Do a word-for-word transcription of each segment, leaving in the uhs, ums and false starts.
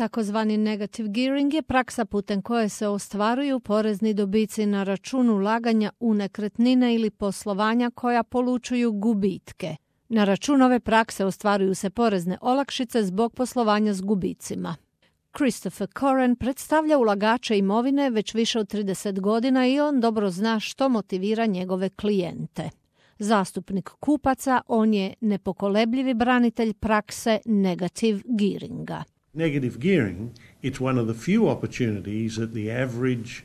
Takozvani negative gearing je praksa putem koje se ostvaruju porezni dobici na račun ulaganja u nekretnine ili poslovanja koja polučuju gubitke. Na račun ove prakse ostvaruju se porezne olakšice zbog poslovanja s gubicima. Christopher Coren predstavlja ulagače imovine već više od trideset godina i on dobro zna što motivira njegove klijente. Zastupnik kupaca, on je nepokolebljivi branitelj prakse negative gearinga. Negative gearing, it's one of the few opportunities that the average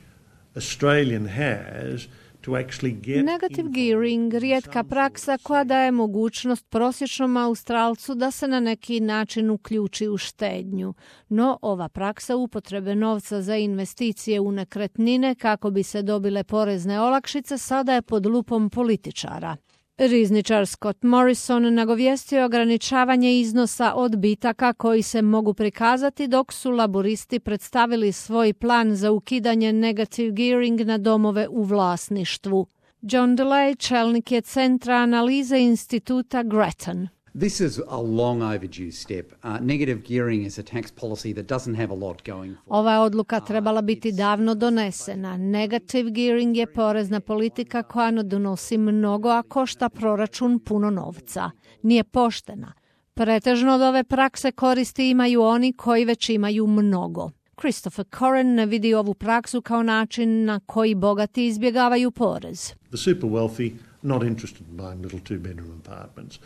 Australian has to actually get Negative gearing, rijetka praksa koja daje mogućnost prosječnom Australcu da se na neki način uključi u štednju. No, ova praksa upotrebe novca za investicije u nekretnine kako bi se dobile porezne olakšice sada je pod lupom političara. Rizničar Scott Morrison nagovijestio ograničavanje iznosa odbitaka koji se mogu prikazati dok su laboristi predstavili svoj plan za ukidanje negative gearing na domove u vlasništvu. John DeLay, čelnik je Centra analize instituta Grattan. This is a long overdue step. Uh, negative gearing is a tax policy that doesn't have a lot going for it. Ova odluka trebala biti davno donesena. Negative gearing je porezna politika koja ne donosi mnogo, a košta proračun puno novca. Nije poštena. Pretežno od ove prakse koristi imaju oni koji već imaju mnogo. Christopher Coren ne vidi ovu praksu kao način na koji bogati izbjegavaju porez. the super wealthy not interested in buying little two-bedroom apartments.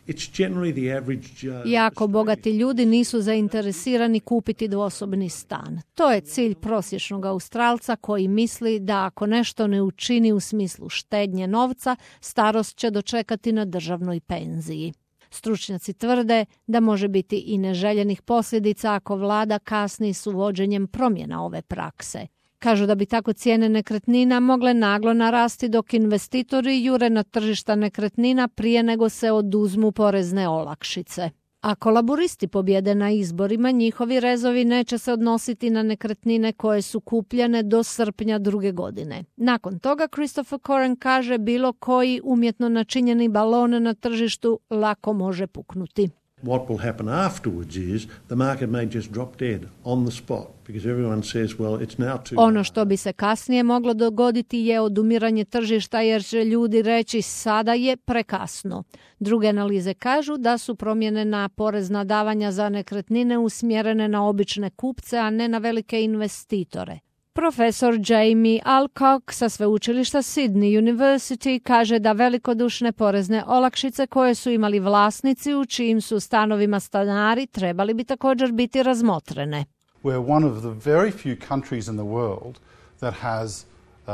It's generally the average Joe. Jako bogati ljudi nisu zainteresirani kupiti dvosobni stan. To je cilj prosječnog Australca koji misli da ako nešto ne učini u smislu štednje novca, starost će dočekati na državnoj penziji. Stručnjaci tvrde da može biti i neželjenih posljedica ako vlada kasni s uvođenjem promjena ove prakse. Kažu da bi tako cijene nekretnina mogle naglo narasti dok investitori jure na tržišta nekretnina prije nego se oduzmu porezne olakšice. Ako laburisti pobjede na izborima, njihovi rezovi neće se odnositi na nekretnine koje su kupljene do srpnja druge godine. Nakon toga, Christopher Coren kaže, bilo koji umjetno načinjeni balon na tržištu lako može puknuti. What will happen afterwards is the market may just drop dead on the spot because everyone says, well, it's now too Ono što bi se kasnije moglo dogoditi je odumiranje tržišta jer će ljudi reći sada je prekasno. Druge analize kažu da su promjene na porezna davanja za nekretnine usmjerene na obične kupce, a ne na velike investitore. Profesor Jamie Alcock sa sveučilišta Sydney University kaže da velikodušne porezne olakšice koje su imali vlasnici u čijim su stanovima stanari trebali bi također biti razmotrene. We're one of the very few countries in the world that has uh,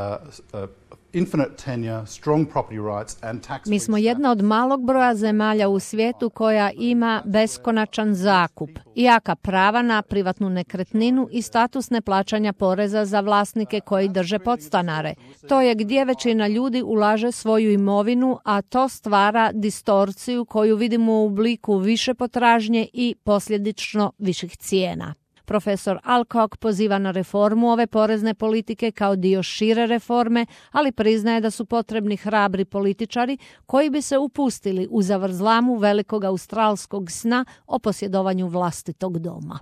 uh, infinite tenure, strong property rights and tax. Mi smo jedna od malog broja zemalja u svijetu koja ima beskonačan zakup, jaka prava na privatnu nekretninu i status neplaćanja poreza za vlasnike koji drže podstanare. To je gdje većina ljudi ulaže svoju imovinu, a to stvara distorciju koju vidimo u obliku više potražnje i posljedično viših cijena. Profesor Alcock poziva na reformu ove porezne politike kao dio šire reforme, ali priznaje da su potrebni hrabri političari koji bi se upustili u zavrzlamu velikog australskog sna o posjedovanju vlastitog doma.